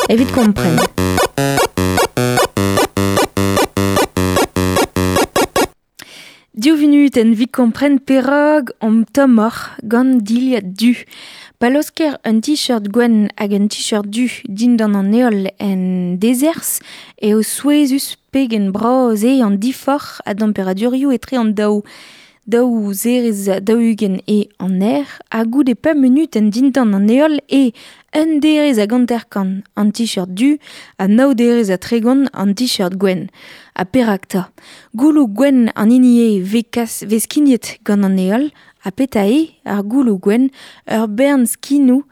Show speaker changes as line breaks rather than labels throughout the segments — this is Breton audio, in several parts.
Evit kompren. Div vunutenn evit kompren perak omp tommoc'h gant dilhad du. Pa laosker un t-shirt gwenn hag un t-shirt du dindan an heol en dezerzh eo souezhus pegen bras eo an diforc'h a damperadurioù etre an daou. Daou zerez 40 eo an aer ha goude pemp munutenn dindan an heol eo un derez hag 50 an t-shirt du ha nav derez ha 30 an t-shirt gwenn. Ha perak 'ta? Gouloù gwenn an hini eo vez kas vez skignet gant an heol ha petra eo ar gouloù gwenn? Ur bern skinoù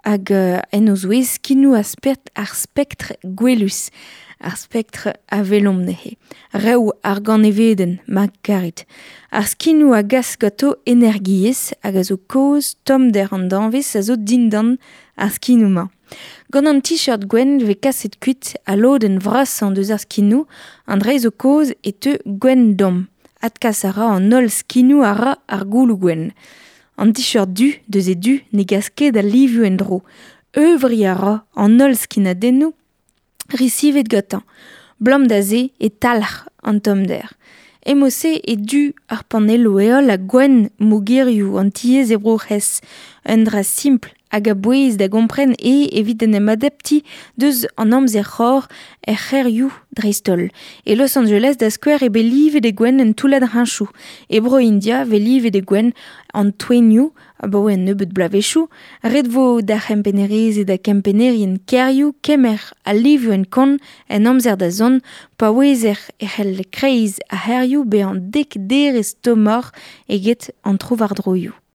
hag en o zouez skinoù ar spektr gwelus. Ar spektr a welomp neuze. Rev ar ganevedenn, ma karit. Ar skinoù a gas ganto energiezh hag a zo kaoz tommder an danvez a zo dindan ar skinoù-mañ. Gant an t-shirt gwenn vez kaset kuit al lodenn vrasañ deus ar skinoù, an dra zo kaoz e teu gwenn domm. Adkas a ra an holl skinoù a ra ar gouloù gwenn. An t-shirt du deus e du ne gas ket al livioù en-dro. Euvriñ a ra an holl skinadennoù resivet gantañ. Blam da se e talc'h an tommder. Emo-se e du ar panelloù heol ha gwenn mogerioù an tiez e Bro-C'hres. Un dra simpl hag a-bouez da gompren eo evit en em adaptiñ deus an amzer c'hor er c'hêrioù dreist-holl. E Los Angeles da skouer eo bet livet e gwenn un toullad heñchoù. E Bro-India vez livet e gwenn an toenioù abaoe un nebeud bloavezhioù. Ret vo d'ar c'hempennerezed ha kempennerien kêrioù kemer al livioù en kont en amzer da zont pa ouezer e c'hell kreiz ar c'hêrioù bezañ dek derez tommoc'h eget an trowardroioù.